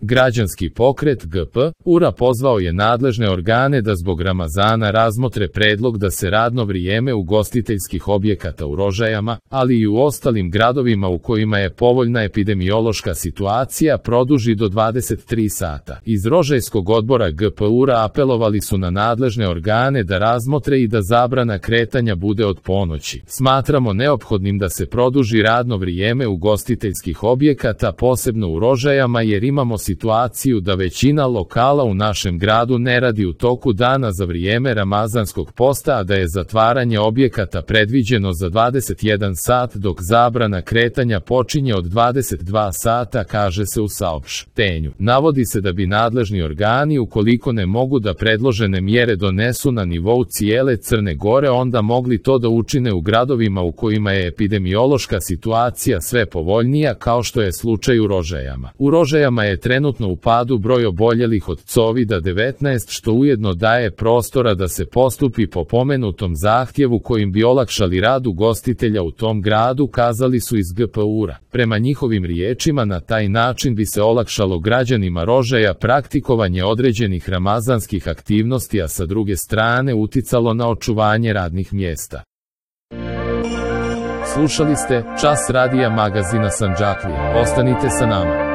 Građanski pokret GP-URA pozvao je nadležne organe da zbog Ramazana razmotre predlog da se radno vrijeme ugostiteljskih objekata u Rožajama, ali i u ostalim gradovima u kojima je povoljna epidemiološka situacija produži do 23 sata. Iz Rožajskog odbora GP-URA apelovali su na nadležne organe da razmotre i da zabrana kretanja bude od ponoći. Smatramo neophodnim da se produži radno vrijeme ugostiteljskih objekata, posebno u Rožajama, jer imamo situaciju da većina lokala u našem gradu ne radi u toku dana za vrijeme Ramazanskog posta, a da je zatvaranje objekata predviđeno za 21 sat, dok zabrana kretanja počinje od 22 sata, kaže se u saopštenju. Navodi se da bi nadležni organi, ukoliko ne mogu da predložene mjere donesu na nivou cijele Crne Gore, onda mogli to da učine u gradovima u kojima je epidemiološka situacija sve povoljnija, kao što je slučaj u Rožajama. U Rožajama je trenutno u padu broj oboljelih od COVID-19, što ujedno daje prostora da se postupi po pomenutom zahtjevu kojim bi olakšali rad ugostitelja u tom gradu, kazali su iz GP-URA. Prema njihovim riječima, na taj način bi se olakšalo građanima Rožaja praktikovanje određenih ramazanskih aktivnosti, a sa druge strane uticalo na očuvanje radnih mjesta. Slušali ste Čas radija magazina Sandžaklije. Ostanite sa nama.